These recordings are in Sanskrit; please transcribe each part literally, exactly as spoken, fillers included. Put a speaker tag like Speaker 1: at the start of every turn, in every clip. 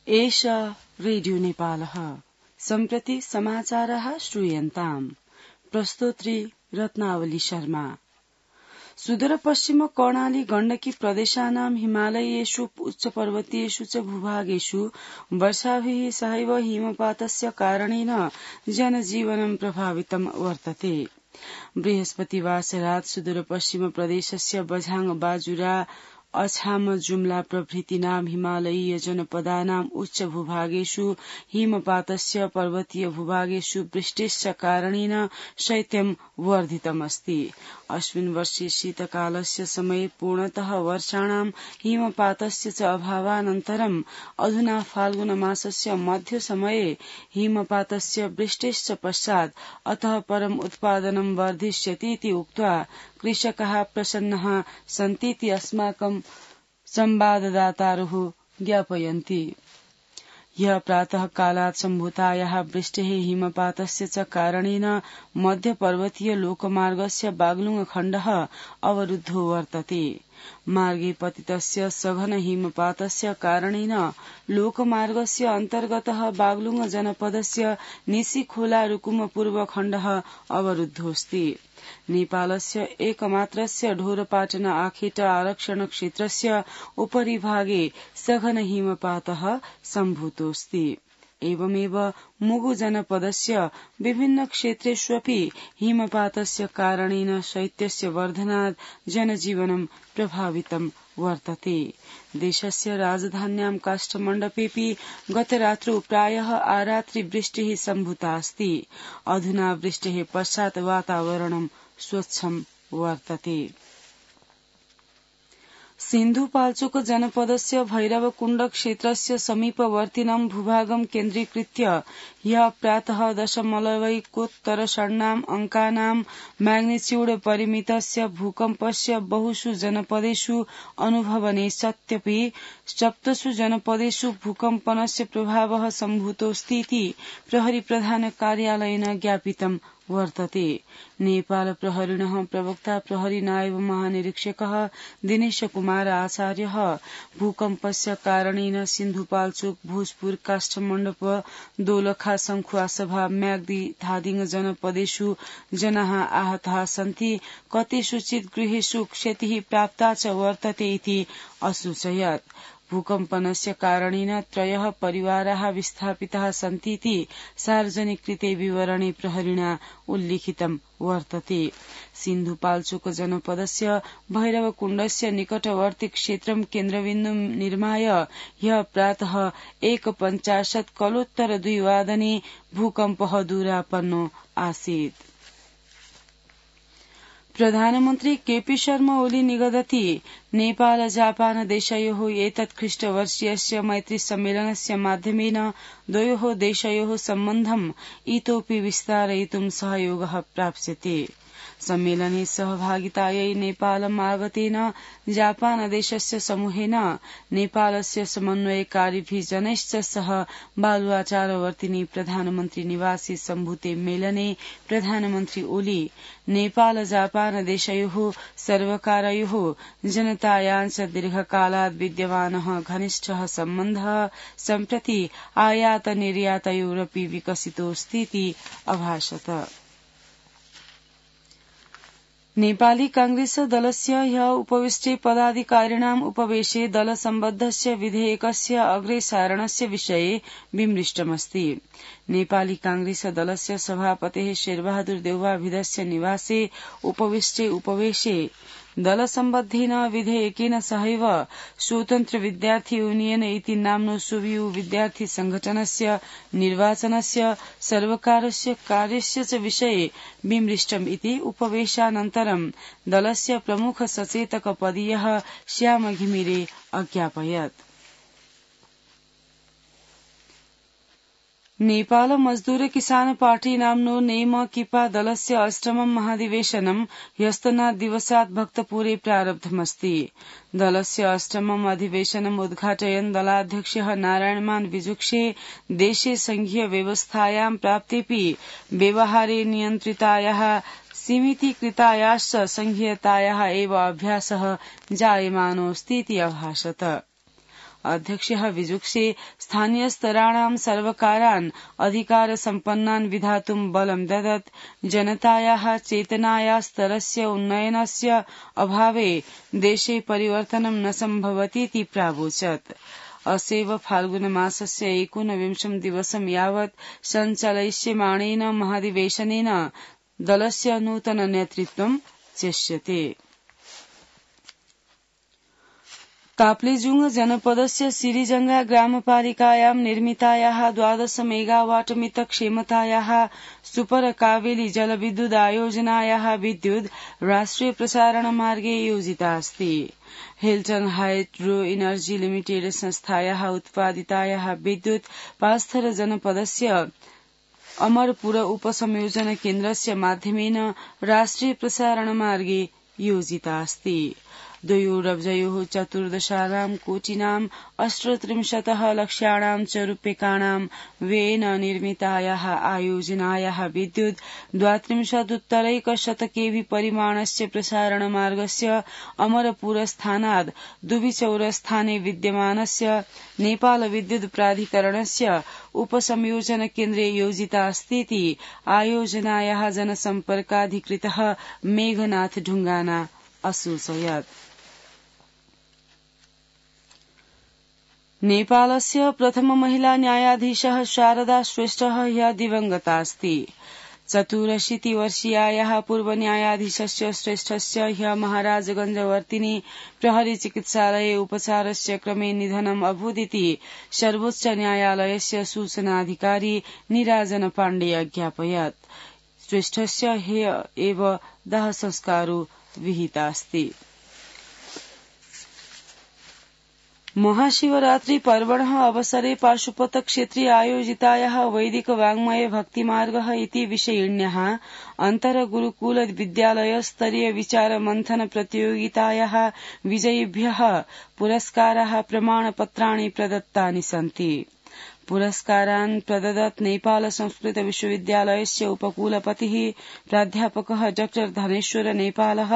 Speaker 1: एष रेडियो नेपालः सम्प्रति समाचारः श्रूयन्ताम्। प्रस्तोत्री रत्नावली शर्मा। सुदूरपश्चिम कर्णाली गण्डकी प्रदेशानां हिमालयेषु उच्चपर्वतीयेषु च भूभागेषु वर्षाभिः सहैव हिमपातस्य कारणेन जनजीवनं प्रभावितं वर्तते। बृहस्पतिवासरात् सुदूरपश्चिम प्रदेशस्य बझाङ बाजुरा अछाम जुम्ला प्रभृतीनां हिमालयीय जनपदानाम् उच्च भूभागेषु हिमपातस्य पर्वतीय भूभागेषु वृष्टिश्च कारणेन शैत्यं वर्धितमस्ति। अस्मिन् वर्षे शीतकालस्य समये पूर्णतः वर्षाणां हिमपातस्य च अभावानन्तरम् अधुना फाल्गुनमासस्य मध्यसमये हिमपातस्य वृष्टिश्च पश्चात् अतः परम् उत्पादनं वर्धिष्यतीति उक्त्वा कृषकाः प्रसन्नाः सन्तीति अस्माकं संवाददातारः ज्ञापयन्ति। ह्यः प्रातः कालात् सम्भूतायाः वृष्टेः हिमपातस्य च कारणेन मध्यपर्वतीय लोकमार्गस्य बागलुङ खण्डः अवरुद्धो वर्तते। मार्गे पतितस्य सघन हिमपातस्य कारणेन लोकमार्गस्य अन्तर्गतः बागलुङ जनपदस्य निशीखोला रुकुम पूर्व खण्डः अवरुद्धोऽस्ति। नेपालस्य एकमात्रस्य ढोरपाटन आखेट आरक्षण क्षेत्रस्य उपरि भागे सघन हिमपातः सम्भूतोऽस्ति। एवमेव मुगु जनपदस्य विभिन्न क्षेत्रेष्वपि हिमपातस्य कारणेन शैत्यस्य वर्धनात् जनजीवनं प्रभावितं वर्तते। देशस्य राजधान्यां काष्ठमण्डपेऽपि गतरात्रौ प्रायः आरात्रि वृष्टिः सम्भूता अस्ति। अधुना वृष्टेः पश्चात् वातावरणं स्वच्छं वर्तते। सिन्धुपाल्चोक जनपदस्य भैरवकुण्ड क्षेत्रस्य समीपवर्तिनं भूभागं केन्द्रीकृत्य ह्यः प्रातः दशमलवैकोत्तर षण्णाम् अङ्कानां मैग्निच्यूड परिमितस्य भूकम्पस्य बहुषु जनपदेषु अनुभवने सत्यपि सप्तसु जनपदेषु भूकम्पनस्य प्रभावः सम्भूतोऽस्तीति प्रहरी प्रधान कार्यालयेन ज्ञापितं वर्तते। नेपाल प्रहरिणः प्रवक्ता प्रहरी नायब महानिरीक्षकः दिनेश कुमार आचार्यः भूकम्पस्य कारणेन सिन्धुपाल्चोक भोजपुर काष्ठमण्डप दोलखा संखुवासभा म्याग्दी धादिङ जनपदेषु जनाः आहताः सन्ति। कतिषुचित् गृहेषु क्षतिः प्राप्ता च वर्तते इति असूचयत्। भूकम्पनस्य कारणेन त्रयः परिवाराः विस्थापिताः सन्तीति सार्वजनिकृते विवरणे प्रहरिणा उल्लिखितं वर्तते। सिन्धुपाल्चोक जनपदस्य भैरवकुण्डस्य निकटवर्ती क्षेत्रं केन्द्रबिन्दुं निर्माय ह्यः प्रातः एकपञ्चाशत् कलोत्तर द्विवादने भूकम्पः दूरापन्नो आसीत्। प्रधानमन्त्री केपी शर्मा ओली निगदति नेपाल जापान देशयोः एतत् ख्रीष्टवर्षीयस्य मैत्री सम्मेलनस्य माध्यमेन द्वयोः देशयोः सम्बन्धम् इतोपि विस्तारयितुं सहयोगः प्राप्स्यते। सम्मेलने सहभागितायै नेपालम् आगतेन जापान देशस्य समूहेन नेपालस्य समन्वयकारिभिः जनैश्च सह बालुवाचारवर्तिनि प्रधानमन्त्री निवासी सम्भूते मेलने प्रधानमन्त्री ओली नेपाल जापान देशयोः सर्वकारयोः जनतायाञ्च दीर्घकालात् विद्यमानः घनिष्ठः सम्बन्धः सम्प्रति आयात निर्यातयोरपि विकसितोऽस्तीति अभाषत। नेपाली कांग्रेस दलस्य ह्यः उपविष्टे पदाधिकारिणाम् उपवेशे दलसम्बद्धस्य विधेयकस्य अग्रेसारणस्य विषये विमृष्टमस्ति। नेपाली कांग्रेस दलस्य सभापतेः शेरबहादुर देउवाभिधस्य निवासे उपविष्टे उपवेशे दलसम्बद्धेन विधेयकेन सहैव स्वतन्त्र विद्यार्थी यूनियन इति नाम्नो सुवियु विद्यार्थी संघटनस्य निर्वाचनस्य सर्वकारस्य कार्यस्य च विषये विमृष्टम् इति उपवेशानन्तरं दलस्य प्रमुख सचेतक पदीयः श्याम घिमिरे अज्ञापयत्। नेपाल मजदूर किसान पार्टी नाम्नो नेम किपा दलस्य अष्टमं महाधिवेशनं ह्यस्तनात् दिवसात् भक्तपुरे प्रारब्धमस्ति। दलस्य अष्टमम् अधिवेशनम् उद्घाटयन् दलाध्यक्षः नारायणमान विजुक्षे देशे संघीय व्यवस्थायां प्राप्तेऽपि व्यवहारे नियन्त्रितायाः सीमितीकृतायाश्च संघीयतायाः एव अभ्यासः जायमानोऽस्तीति अभाषत। अध्यक्षः विजुक्षे स्थानीयस्तराणां सर्वकारान् अधिकारसम्पन्नान् विधातुं बलं ददत्। जनतायाः चेतनाया स्तरस्य उन्नयनस्य अभावे देशे परिवर्तनं न सम्भवतीति प्रावोचत्। अस्यैव फाल्गुनमासस्य एकोनविंशं दिवसं यावत् सञ्चालयिष्यमाणेन महाधिवेशनेन दलस्य नूतन नेतृत्वं चेष्यते। ताप्लेजुंग जनपदस्य सिरिजंगा ग्रामपालिकायां निर्मितायाः द्वादश मेगावाट मित क्षमतायाः सुपर कावेरी जलविद्युदायोजनायाः विद्युत् राष्ट्रिय प्रसारण मार्गे योजिता अस्ति। हिल्टन हाइड्रो एनर्जी लिमिटेड संस्थायाः उत्पादितायाः विद्युत् पास्थर जनपदस्य अमरपुर उपसंयोजन केन्द्रस्य माध्यमेन राष्ट्रिय प्रसारण मार्गे योजिता अस्ति। द्वयोरब्जयोः चतुर्दशानां कोटिनाम् अष्टत्रिंशतः लक्षाणां च रूप्यकाणां व्ययेन निर्मितायाः आयोजनायाः विद्युत् द्वात्रिंशदुत्तरैकशत केवि परिमाणस्य प्रसारणमार्गस्य अमरपुरस्थानात् दुबिचौरस्थाने विद्यमानस्य नेपाल विद्युत् प्राधिकरणस्य उपसंयोजन केन्द्रे योजिता अस्तीति आयोजनायाः जनसम्पर्काधिकृतः मेघनाथ ढुंगाना असूचयत्। नेपालस्य प्रथम महिला न्यायाधीशः शारदा श्रेष्ठः ह्यः दिवंगता अस्ति। चतुरशीतिवर्षीयायाः पूर्वन्यायाधीशस्य श्रेष्ठस्य ह्यः महाराजगंजवर्तिनी प्रहरी चिकित्सालये उपचारस्य क्रमे निधनम् अभूदिति सर्वोच्च न्यायालयस्य सूचनाधिकारी निराजन पाण्डे अज्ञापयत्। श्रेष्ठस्य ह्यः एव दाह संस्कारो विहितास्ति। महाशिवरात्रि पर्वणः अवसरे पाशुपत क्षेत्रे आयोजितायाः वैदिक वाङ्मय भक्तिमार्गः इति विषयिण्याः अन्तर गुरुकुल विद्यालय स्तरीय विचार मंथन प्रतियोगितायाः विजयिभ्यः पुरस्काराः प्रमाणपत्राणि प्रदत्तानि सन्ति। पुरस्कारान् प्रददत् नेपाल संस्कृत विश्वविद्यालयस्य उपकुलपतिः प्राध्यापकः डॉक्टर धनेश्वर नेपालः।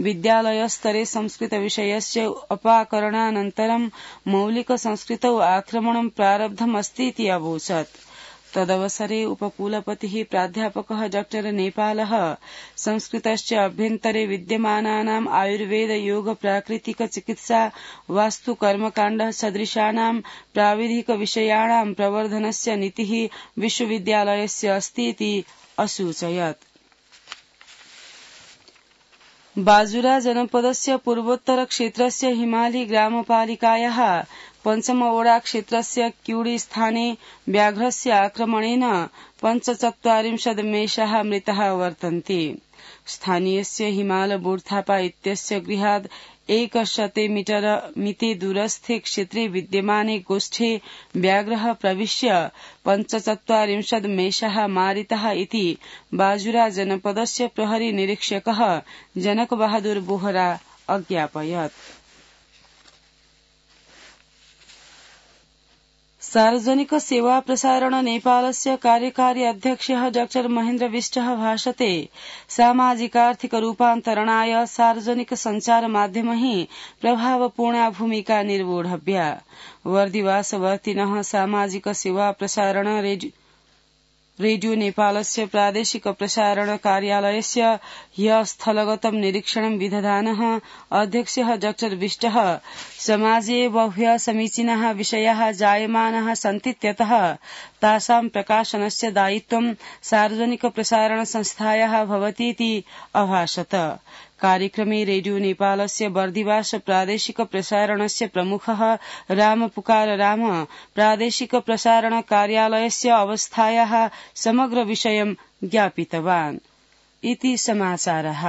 Speaker 1: विद्यालयस्तरे संस्कृत विषयस्य अपाकरणानन्तरं मौलिक संस्कृतौ आक्रमणं प्रारब्धमस्तीति अवोचत्। तदवसरे उपकुलपतिः प्राध्यापकः डॉक्टर नेपालः संस्कृतस्य अभ्यन्तरे विद्यमानानाम् आयुर्वेद योग प्राकृतिक चिकित्सा वास्तु कर्मकाण्ड सदृशानां प्राविधिक विषयाणां प्रवर्धनस्य नीतिः विश्वविद्यालयस्य अस्तीति असूचयत्। बाजुरा जनपदस्य पूर्वोत्तर क्षेत्रस्य हिमाली ग्रामपालिकायाः पञ्चमवोडा क्षेत्रस्य क्यूडी स्थाने व्याघ्रस्य आक्रमणेन पञ्चचत्वारिंशत् मेषाः मृताः वर्तन्ते। स्थानीयस्य हिमाल बोर्थापा इत्यस्य गृहात् एकशते मीटर मिते दूरस्थे क्षेत्रे विद्यमाने गोष्ठे व्याघ्रः प्रविश्य पञ्चचत्वारिंशत् मेषाः मारिताः इति बाजुरा जनपदस्य प्रहरी निरीक्षकः जनक बहादुर बोहरा अज्ञापयत्। सार्वजनिक सेवा प्रसारण नेपालस्य कार्यकारी अध्यक्षः डॉक्टर महेन्द्र विष्टः भाषते सामाजिकार्थिक रूपान्तरणाय सार्वजनिक संचार माध्यमैः प्रभावपूर्णा भूमिका निर्वोढव्या। वर्दिवासवर्तिनः सामाजिक सेवा प्रसारण रेडियो रेडियो नेपालस्य प्रादेशिक प्रसारण कार्यालयस्य ह्यः स्थलगतं निरीक्षणं विदधानः अध्यक्षः डॉक्टर विष्टः समाजे बह्व्यः समीचीनाः विषयाः जायमानाः सन्तीत्यतः तासां प्रकाशनस्य दायित्वं सार्वजनिक प्रसारण संस्थायाः भवतीति अभाषत। कार्यक्रमे रेडियो नेपालस्य बर्दिवास प्रादेशिक प्रसारणस्य प्रमुखः राम पुकार राम प्रादेशिक प्रसारण कार्यालयस्य अवस्थायाः समग्र विषयं ज्ञापितवान् इति समाचारः।